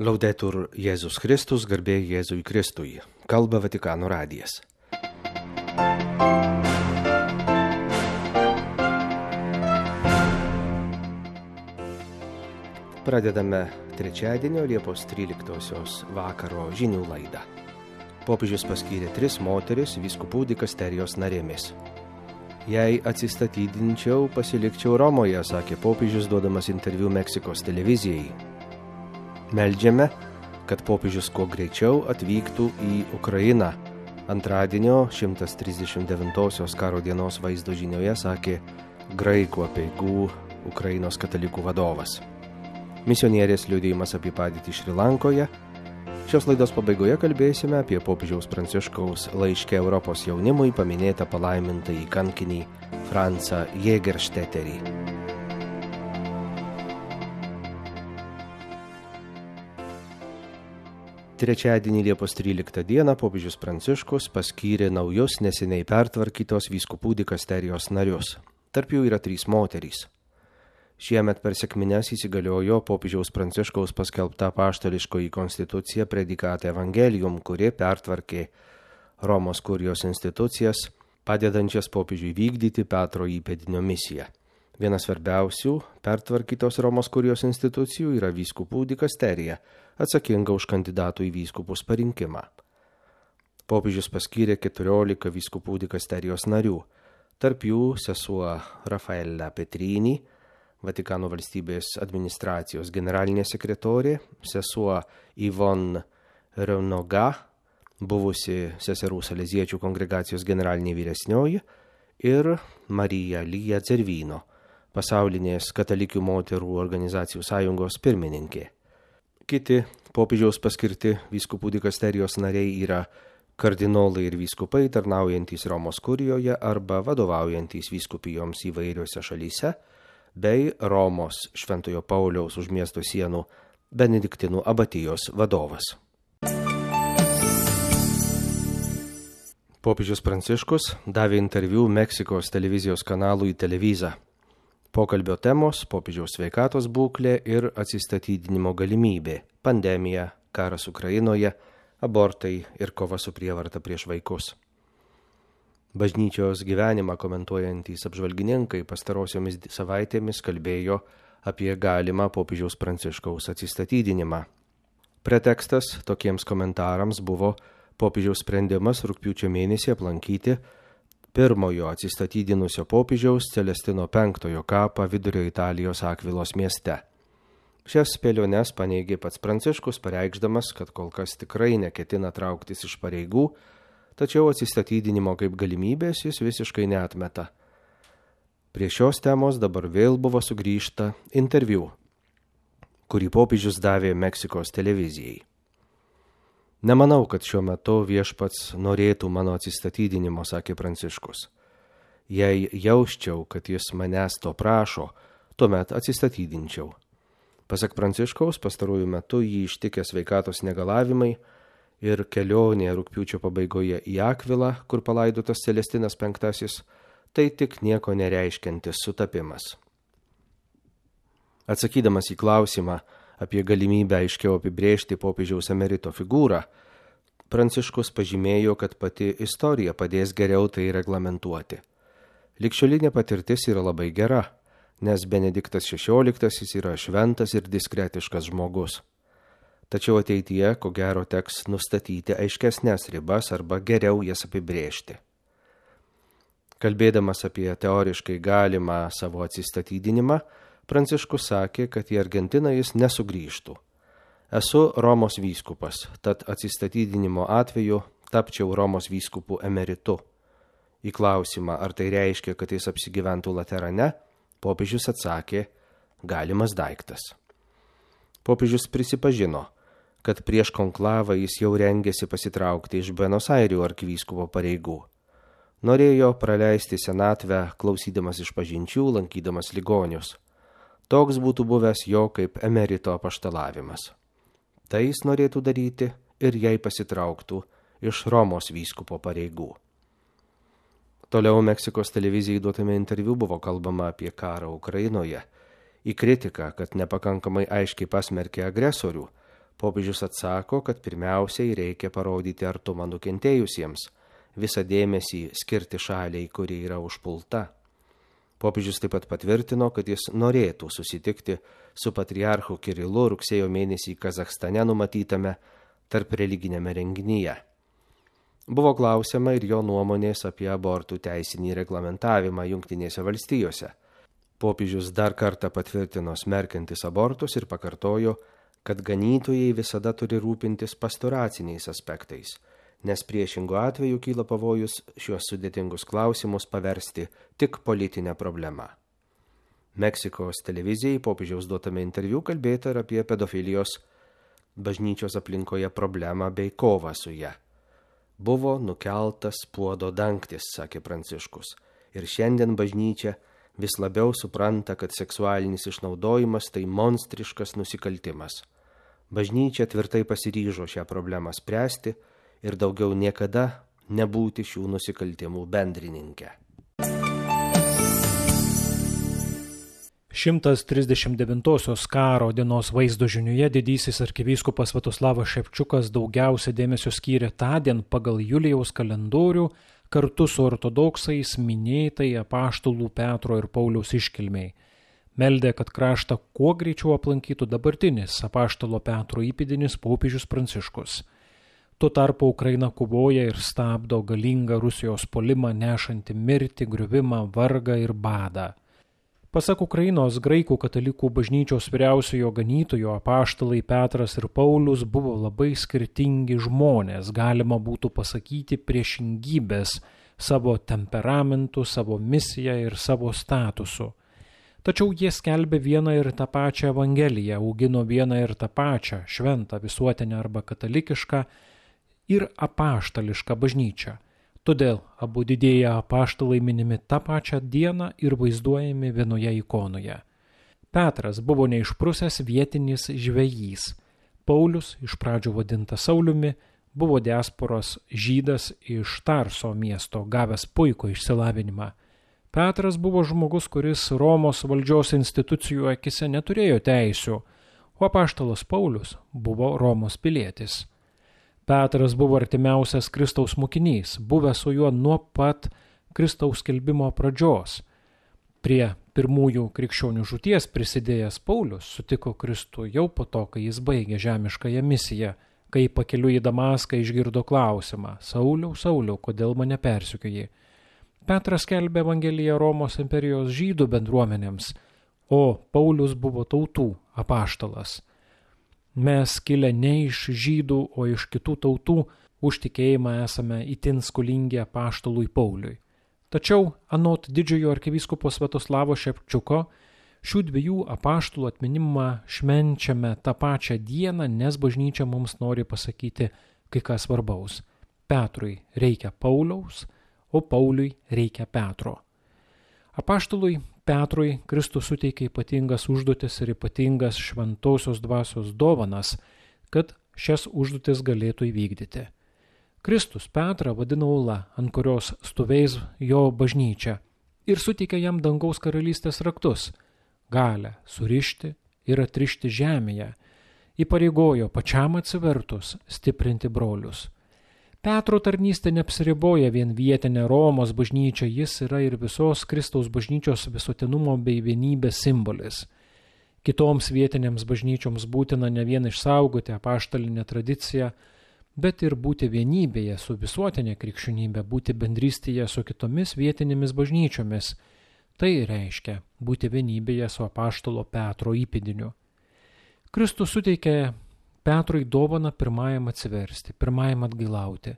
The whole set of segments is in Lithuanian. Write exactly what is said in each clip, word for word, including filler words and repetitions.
Laudetur Jėzus Kristus, garbė Jėzui Kristui. Kalba Vatikano radijas. Pradedame trečiadienio Liepos tryliktosios vakaro žinių laidą. Popiežius paskyrė tris moteris vyskupų dikasterijos narėmis. Jei atsistatydinčiau, pasilikčiau Romoje, sakė popiežius duodamas interviu Meksikos televizijai. Meldžiame, kad popiežius kuo greičiau atvyktų į Ukrainą. Antradienio šimtas trisdešimt devintosios karo dienos vaizdo žinioje sakė graikų apeigų Ukrainos katalikų vadovas. Misionierės liudijimas apie padėtį Šri Lankoje. Šios laidos pabaigoje kalbėsime apie popiežiaus Pranciškaus laiške Europos jaunimui paminėtą palaimintąjį kankinį Francą Jägeršteterį. Trečiadienį Liepos tryliktą dieną popiežius Pranciškus paskyrė naujus neseniai pertvarkytos vyskupų dikasterijos narius. Tarp jų yra trys moterys. Šiemet per sekmines įsigaliojo popiežiaus Pranciškaus paskelbta apaštališkoji konstitucija Predikate Evangelium, kuri pertvarkė Romos kurijos institucijas, padedančias popiežiui vykdyti Petro įpėdinio misiją. Vienas svarbiausių pertvarkytos Romos kurijos institucijų yra vyskupų dikasterija, atsakinga už kandidatų į vyskupus parinkimą. Popiežius paskyrė keturiolika vyskupų dikasterijos narių, tarp jų sesuo Rafaela Petrini, Vatikano valstybės administracijos generalinė sekretorė, sesuo Ivon Reunoga, buvusi seserų saleziečių kongregacijos generalinė vyresnioji, ir Marija Lija Dzervino, pasaulinės katalikių moterų organizacijų sąjungos pirmininkė. Kiti popiežiaus paskirti vyskupų dikasterijos nariai yra kardinolai ir vyskupai tarnaujantys Romos kurijoje arba vadovaujantys vyskupijoms įvairiose šalyse, bei Romos Šventojo Pauliaus už miesto sienų Benediktinų abatijos vadovas. Popiežius Pranciškus davė interviu Meksikos televizijos kanalui Televisa. Pokalbio temos – popiežiaus sveikatos būklė ir atsistatydinimo galimybė, pandemija, karas Ukrainoje, abortai ir kova su prievarta prieš vaikus. Bažnyčios gyvenimą komentuojantys apžvalgininkai pastarosiomis savaitėmis kalbėjo apie galimą popiežiaus Pranciškaus atsistatydinimą. Pretekstas tokiems komentarams buvo popiežiaus sprendimas rugpjūčio mėnesį aplankyti pirmojo atsistatydinusio popiežiaus Celestino penktojo kapą Vidurio Italijos Akvilos mieste. Šias spėliones paneigė pats Pranciškus, pareikšdamas, kad kol kas tikrai neketina trauktis iš pareigų, tačiau atsistatydinimo kaip galimybės jis visiškai neatmeta. Prie šios temos dabar vėl buvo sugrįžta interviu, kurį popiežius davė Meksikos televizijai. Nemanau, kad šiuo metu viešpats norėtų mano atsistatydinimo, sakė Pranciškus. Jei jausčiau, kad jis manęs to prašo, tuomet atsistatydinčiau. Pasak Pranciškaus, pastarųjų metu jį ištikė sveikatos negalavimai ir kelionė rugpjūčio pabaigoje į Akvilą, kur palaidotas Celestinas penktasis, tai tik nieko nereiškiantis sutapimas. Atsakydamas į klausimą apie galimybę aiškiau apibrėžti popiežiaus emerito figūrą, Pranciškus pažymėjo, kad pati istorija padės geriau tai reglamentuoti. Ligšiolinė patirtis yra labai gera, nes Benediktas šešioliktasis yra šventas ir diskretiškas žmogus. Tačiau ateityje, ko gero, teks nustatyti aiškesnės ribas arba geriau jas apibrėžti. Kalbėdamas apie teoriškai galimą savo atsistatydinimą, Pranciškus sakė, kad į Argentiną jis nesugrįžtų. Esu Romos vyskupas, tad atsistatydinimo atveju tapčiau Romos vyskupų emeritu. Į klausimą, ar tai reiškia, kad jis apsigyventų Laterane, popiežius atsakė, galimas daiktas. Popiežius prisipažino, kad prieš konklavą jis jau rengėsi pasitraukti iš Buenos Airių arkivyskupo pareigų. Norėjo praleisti senatvę, klausydamas išpažinčių, lankydamas ligonius. Toks būtų buvęs jo kaip emerito apaštalavimas. Tai jis norėtų daryti ir jei pasitrauktų iš Romos vyskupo pareigų. Toliau Meksikos televizijai duotame interviu buvo kalbama apie karą Ukrainoje. Į kritiką, kad nepakankamai aiškiai pasmerkė agresorių, Popiežius atsako, kad pirmiausiai reikia parodyti artumą nukentėjusiems, visą dėmesį skirti šaliai, kuri yra užpulta. Popiežius taip pat patvirtino, kad jis norėtų susitikti su patriarchu Kirilu rugsėjo mėnesį Kazachstane numatytame tarp religinėme renginyje. Buvo klausiama ir jo nuomonės apie abortų teisinį reglamentavimą Jungtinėse valstijose. Popiežius dar kartą patvirtino smerkiantis abortus ir pakartojo, kad ganytojai visada turi rūpintis pastoraciniais aspektais, nes priešingu atveju kyla pavojus šiuos sudėtingus klausimus paversti tik politinę problemą. Meksikos televizijai popiežiaus duotame interviu kalbėta ir apie pedofilijos bažnyčios aplinkoje problemą bei kovą su ja. Buvo nukeltas puodo dangtis, sakė Pranciškus, ir šiandien bažnyčia vis labiau supranta, kad seksualinis išnaudojimas tai monstriškas nusikaltimas. Bažnyčia tvirtai pasiryžo šią problemą spręsti ir daugiau niekada nebūti šių nusikaltimų bendrininkė. šimtas trisdešimt devintosios karo dienos vaizdo žiniuje didysis arkivyskupas Sviatoslavas Ševčiukas daugiausia dėmesio skyrė tądien pagal Julijaus kalendorių kartu su ortodoksais minėtai apaštalų Petro ir Pauliaus iškilmei. Meldė, kad kraštą kuo greičiau aplankytų dabartinis apaštalo Petro įpėdinis popiežius Pranciškus. Tuo tarpu Ukraina kovoja ir stabdo galingą Rusijos puolimą nešantį mirtį, griuvimą, vargą ir badą. Pasak Ukrainos graikų katalikų bažnyčios vyriausiojo ganytojo, apaštalai Petras ir Paulius buvo labai skirtingi žmonės, galima būtų pasakyti priešingybės savo temperamentu, savo misija ir savo statusu. Tačiau jie skelbė vieną ir tą pačią evangeliją, augino vieną ir tą pačią šventą visuotinę arba katalikišką ir apaštališką bažnyčią. Todėl abu didieji apaštalai minimi tą pačią dieną ir vaizduojami vienoje ikonoje. Petras buvo neišprusęs vietinis žvejys. Paulius, iš pradžių vadintas Sauliumi, buvo diasporos žydas iš Tarso miesto, gavęs puikų išsilavinimą. Petras buvo žmogus, kuris Romos valdžios institucijų akise neturėjo teisių, o apaštalas Paulius buvo Romos pilietis. Petras buvo artimiausias Kristaus mokinys, buvęs su juo nuo pat Kristaus skelbimo pradžios. Prie pirmųjų krikščionių žūties prisidėjęs Paulius sutiko Kristų jau po to, kai jis baigė žemiškąją misiją, kai pakeliui į Damaską išgirdo klausimą: Sauliau, Sauliau, kodėl mane persekioji? Petras skelbė Evangeliją Romos imperijos žydų bendruomenėms, o Paulius buvo tautų apaštalas. Mes kilę ne iš žydų, o iš kitų tautų, už tikėjimą esame itin skolingi apaštalui Pauliui. Tačiau, anot didžiojo arkivyskupo Sviatoslavo Ševčiuko, šių dviejų apaštalų atminimą švenčiame tą pačią dieną, nes bažnyčia mums nori pasakyti kai ką svarbaus. Petrui reikia Pauliaus, o Pauliui reikia Petro. Apaštalui Petrui Kristus suteikė ypatingas užduotis ir ypatingas šventosios dvasios dovanas, kad šias užduotis galėtų įvykdyti. Kristus Petrą vadino uola, ant kurios stovės jo bažnyčia, ir suteikė jam dangaus karalystės raktus, galią surišti ir atrišti žemėje, įpareigojo pačiam atsivertus stiprinti brolius. Petro tarnystė neapsiriboja vien vietinę Romos bažnyčią, jis yra ir visos Kristaus bažnyčios visuotinumo bei vienybės simbolis. Kitoms vietinėms bažnyčioms būtina ne vien išsaugoti apaštalinę tradiciją, bet ir būti vienybėje su visuotinė krikščionybė, būti bendrystėje su kitomis vietinėmis bažnyčiomis. Tai reiškia būti vienybėje su apaštalo Petro įpėdiniu. Kristus suteikė Petrui dovaną pirmajam atsiversti, pirmajam atgailauti.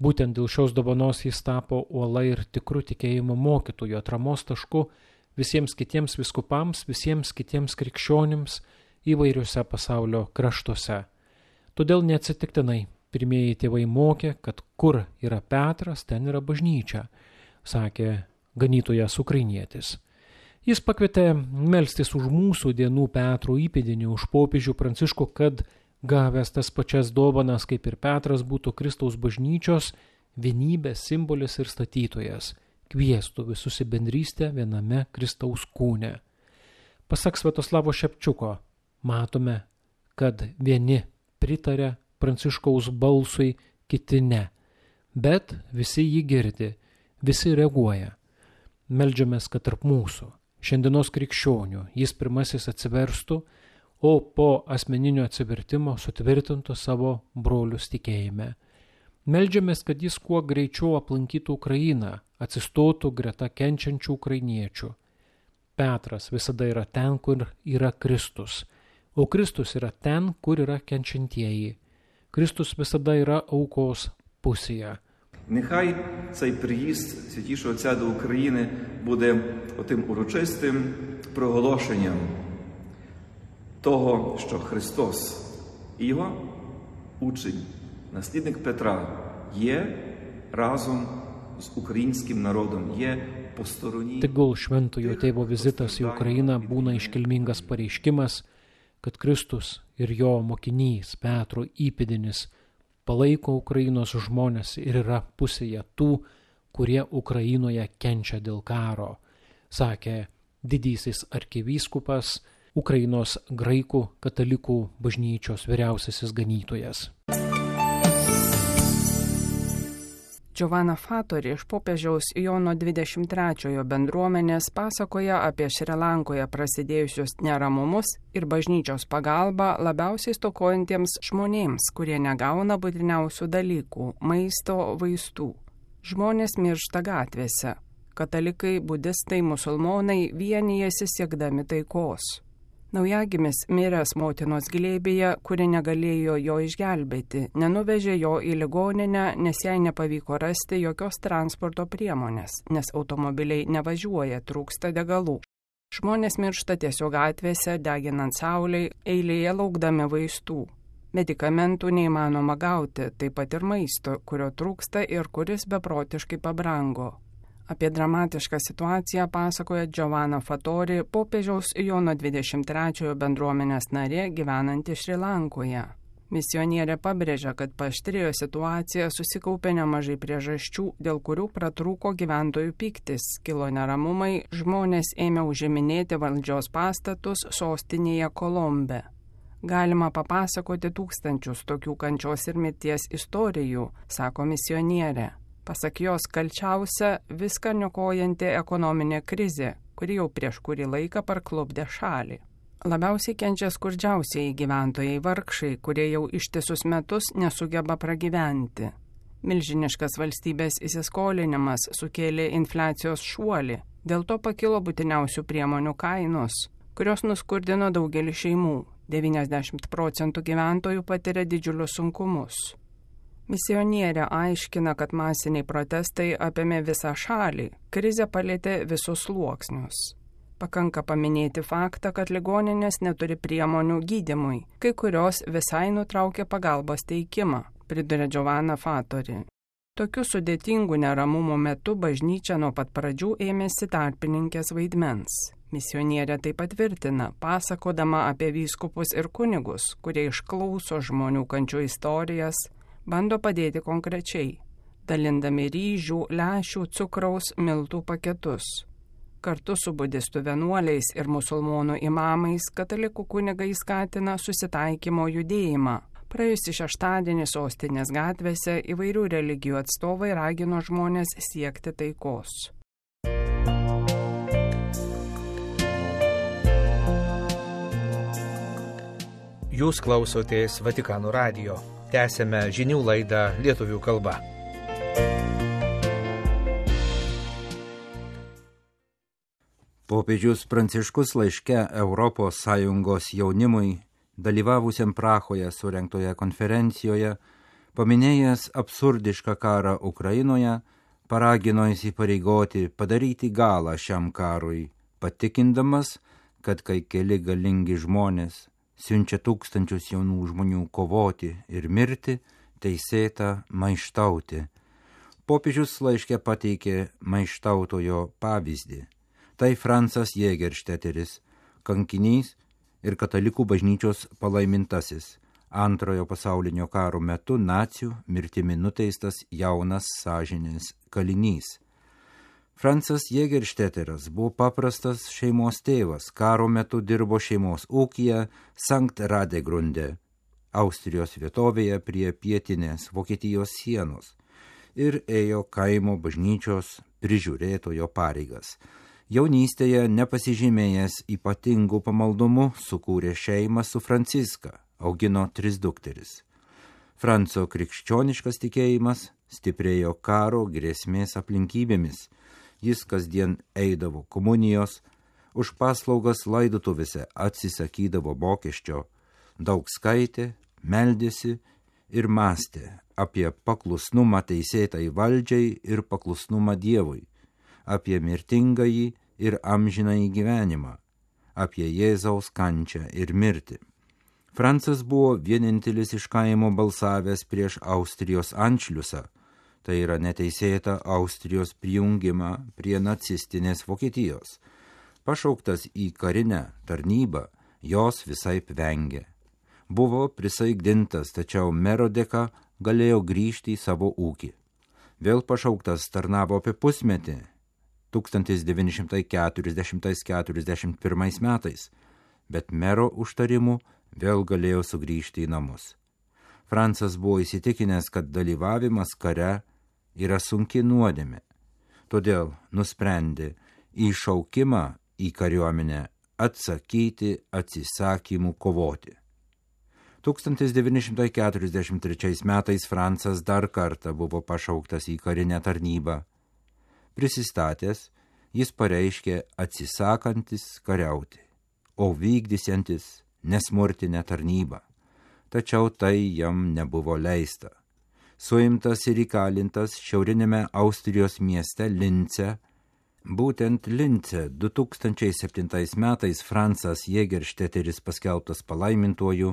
Būtent dėl šios dovanos jis tapo uola ir tikru tikėjimo mokytoju, atramos tašku visiems kitiems vyskupams, visiems kitiems krikščionims įvairiuose pasaulio kraštuose. Todėl neatsitiktinai pirmieji tėvai mokė, kad kur yra Petras, ten yra bažnyčia, sakė ganytojas ukrainietis. Jis pakvietė melstis už mūsų dienų Petro įpėdinį, už popiežių Pranciškų, kad gavęs tas pačias dovanas kaip ir Petras būtų Kristaus bažnyčios vienybės simbolis ir statytojas, kviestų visus į bendrystę viename Kristaus kūne. Pasak Sviatoslavo Ševčiuko, matome, kad vieni pritarė Pranciškaus balsui, kiti ne. Bet visi jį girdi, visi reaguoja. Meldžiamės, kad tarp mūsų, šiandienos krikščionių, jis pirmasis atsiverstų, o po asmeninio atsivertimo sutvirtintų savo brolius tikėjime. Meldžiamės, kad jis kuo greičiau aplankytų Ukrainą, atsistotų greta kenčiančių ukrainiečių. Petras visada yra ten, kur yra Kristus, o Kristus yra ten, kur yra kenčiantieji. Kristus visada yra aukos pusėje. Нехай цей приїзд Святішого Отця до України буде отим урочистим проголошенням того, що Христос і його учень, наслідник Петра, є разом з українським народом, є по стороні. Tegul šventojo tėvo vizitas į Ukrainą būna iškilmingas pareiškimas, kad Kristus ir jo mokinys Petro įpėdinis palaiko Ukrainos žmonės ir yra pusėje tų, kurie Ukrainoje kenčia dėl karo, sakė didysis arkivyskupas, Ukrainos graikų katalikų bažnyčios vyriausiasis ganytojas. Giovanna Fattori iš popiežiaus Jono dvidešimt trečiojo bendruomenės pasakoja apie Šri Lankoje prasidėjusius neramumus ir bažnyčios pagalbą labiausiai stokojantiems žmonėms, kurie negauna būtiniausių dalykų – maisto, vaistų. Žmonės miršta gatvėse. Katalikai, budistai, musulmonai vienijasi siekdami taikos. Naujagimis miręs motinos glėbyje, kuri negalėjo jo išgelbėti, nenuvežė jo į ligoninę, nes jai nepavyko rasti jokios transporto priemonės, nes automobiliai nevažiuoja, trūksta degalų. Žmonės miršta tiesiog gatvėse, deginant saulei, eilėje laukdami vaistų. Medikamentų neįmanoma gauti, taip pat ir maisto, kurio trūksta ir kuris beprotiškai pabrango. Apie dramatišką situaciją pasakoja Giovanna Fattori, popiežiaus Jono dvidešimt trečiojo bendruomenės narė gyvenanti Šri Lankoje. Misionierė pabrėžia, kad paaštrėjo situacija, susikaupė nemažai priežasčių, dėl kurių pratrūko gyventojų pyktis, kilo neramumai, žmonės ėmė užiminėti valdžios pastatus sostinėje Kolombe. Galima papasakoti tūkstančius tokių kančios ir mirties istorijų, sako misionierė. Pasak jos, kalčiausia viską niokojanti ekonominė krizė, kuri jau prieš kurį laiką parklupdė šalį. Labiausiai kenčia skurdžiausieji gyventojai vargšai, kurie jau ištisus metus nesugeba pragyventi. Milžiniškas valstybės įsiskolinimas sukėlė infliacijos šuolį, dėl to pakilo būtiniausių priemonių kainos, kurios nuskurdino daugelį šeimų. devyniasdešimt procentų gyventojų patiria didžiulius sunkumus. Misionierė aiškina, kad masiniai protestai apėmė visą šalį, krizė palėtė visus sluoksnius. Pakanka paminėti faktą, kad ligoninės neturi priemonių gydymui, kai kurios visai nutraukė pagalbos teikimą, priduria Giovanna Fattori. Tokių sudėtingų neramumų metu bažnyčia nuo pat pradžių ėmėsi tarpininkės vaidmens. Misionierė taip patvirtina, pasakodama apie vyskupus ir kunigus, kurie išklauso žmonių kančių istorijas, bando padėti konkrečiai, dalindami ryžių, lęšių, cukraus, miltų paketus. Kartu su budistų vienuoliais ir musulmonų imamais katalikų kunigai skatina susitaikymo judėjimą. Praėjusį šeštadienį sostinės gatvėse įvairių religijų atstovai ragino žmonės siekti taikos. Jūs klausotės Vatikano radijo. Tęsėme žinių laidą lietuvių kalba. Popiežius Pranciškus laiške Europos Sąjungos jaunimui, dalyvavusiam Prahoje surengtoje konferencijoje, paminėjęs absurdišką karą Ukrainoje, paragino įsipareigoti padaryti galą šiam karui, patikindamas, kad kai keli galingi žmonės siunčia tūkstančius jaunų žmonių kovoti ir mirti, teisėta maištauti. Popiežius laiške pateikė maištautojo pavyzdį. Tai Francas Jägerstätteris, kankinys ir katalikų bažnyčios palaimintasis, antrojo pasaulinio karo metu nacių mirtimi nuteistas jaunas sąžinės kalinys. Francas Jägerstätteris buvo paprastas šeimos tėvas, karo metu dirbo šeimos ūkyje Sankt Radegrunde. Austrijos vietovėje prie pietinės Vokietijos sienos ir ėjo kaimo bažnyčios prižiūrėtojo pareigas. Jaunystėje nepasižymėjęs ypatingų pamaldumų sukūrė šeimą su Franciska, augino tris dukteris. Franco krikščioniškas tikėjimas stiprėjo karo grėsmės aplinkybėmis. Jis kasdien eidavo komunijos, už paslaugas laidotuvėse atsisakydavo mokesčio, daug skaitė, meldėsi ir mąstė apie paklusnumą teisėtai valdžiai ir paklusnumą Dievui, apie mirtingąjį ir amžinąjį gyvenimą, apie Jėzaus kančią ir mirtį. Francas buvo vienintelis iš kaimo balsavęs prieš Austrijos anšliusą, tai yra neteisėtą Austrijos prijungimą prie nacistinės Vokietijos. Pašauktas į karinę tarnybą, jos visaip vengė. Buvo prisaigdintas, tačiau mero dėka galėjo grįžti į savo ūkį. Vėl pašauktas tarnavo apie pusmetį, tūkstantis devyni šimtai keturiasdešimt keturiasdešimt pirmais metais, bet mero užtarimų vėl galėjo sugrįžti į namus. Francas buvo įsitikinęs, kad dalyvavimas kare yra sunki nuodėmė, todėl nusprendė į šaukimą į kariuomenę atsakyti atsisakymu kovoti. tūkstantis devyni šimtai keturiasdešimt trečiais metais Francas dar kartą buvo pašauktas į karinę tarnybą. Prisistatęs, jis pareiškė atsisakantis kariauti, o vykdysiantis nesmurtinę tarnybą. Tačiau tai jam nebuvo leista. Suimtas ir įkalintas šiaurinėme Austrijos mieste Lince. Būtent Lince du tūkstančiai septintais metais Francas Jägeršteteris paskelbtas palaimintuoju,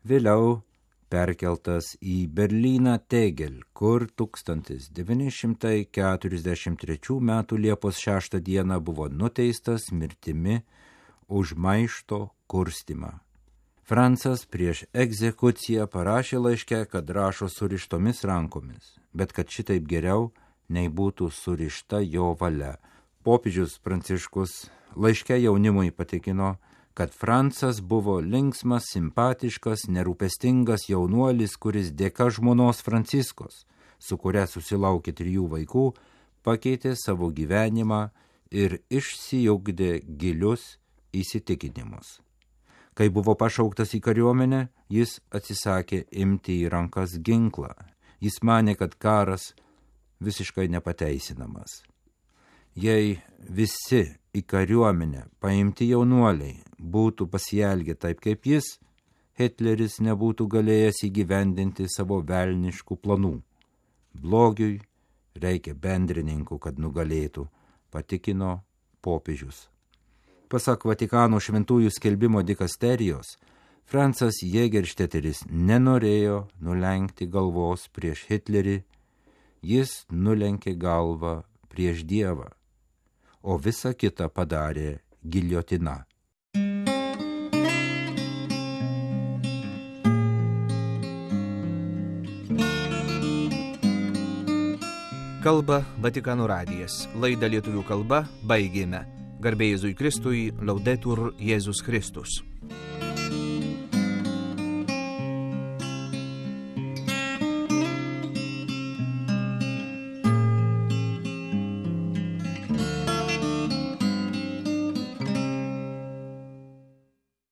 vėliau perkeltas į Berlyną Tegel, kur tūkstantis devyni šimtai keturiasdešimt trečių metų Liepos šeštą dieną buvo nuteistas mirtimi už maišto kurstymą. Francas prieš egzekuciją parašė laiške, kad rašo surištomis rankomis, bet kad šitaip geriau nei būtų surišta jo valia. Popiežius Pranciškus laiške jaunimui patikino, kad Francas buvo linksmas, simpatiškas, nerūpestingas jaunuolis, kuris dėka žmonos Franciskos, su kuria susilaukė trijų vaikų, pakeitė savo gyvenimą ir išsiugdė gilius įsitikinimus. Kai buvo pašauktas į kariuomenę, jis atsisakė imti į rankas ginklą. Jis manė, kad karas visiškai nepateisinamas. Jei visi į kariuomenę paimti jaunuoliai būtų pasielgę taip kaip jis, Hitleris nebūtų galėjęs įgyvendinti savo velniškų planų. Blogiui reikia bendrininkų, kad nugalėtų, patikino popiežius. Pasak Vatikano šventųjų skelbimo dikasterijos, Francas Jägeršteteris nenorėjo nulenkti galvos prieš Hitlerį, jis nulenkė galvą prieš Dievą, o visa kita padarė giljotina. Kalba Vatikano radijas. Laidą lietuvių kalba baigėme. Garbė Jėzui Kristui, Laudetur Jėzus Kristus.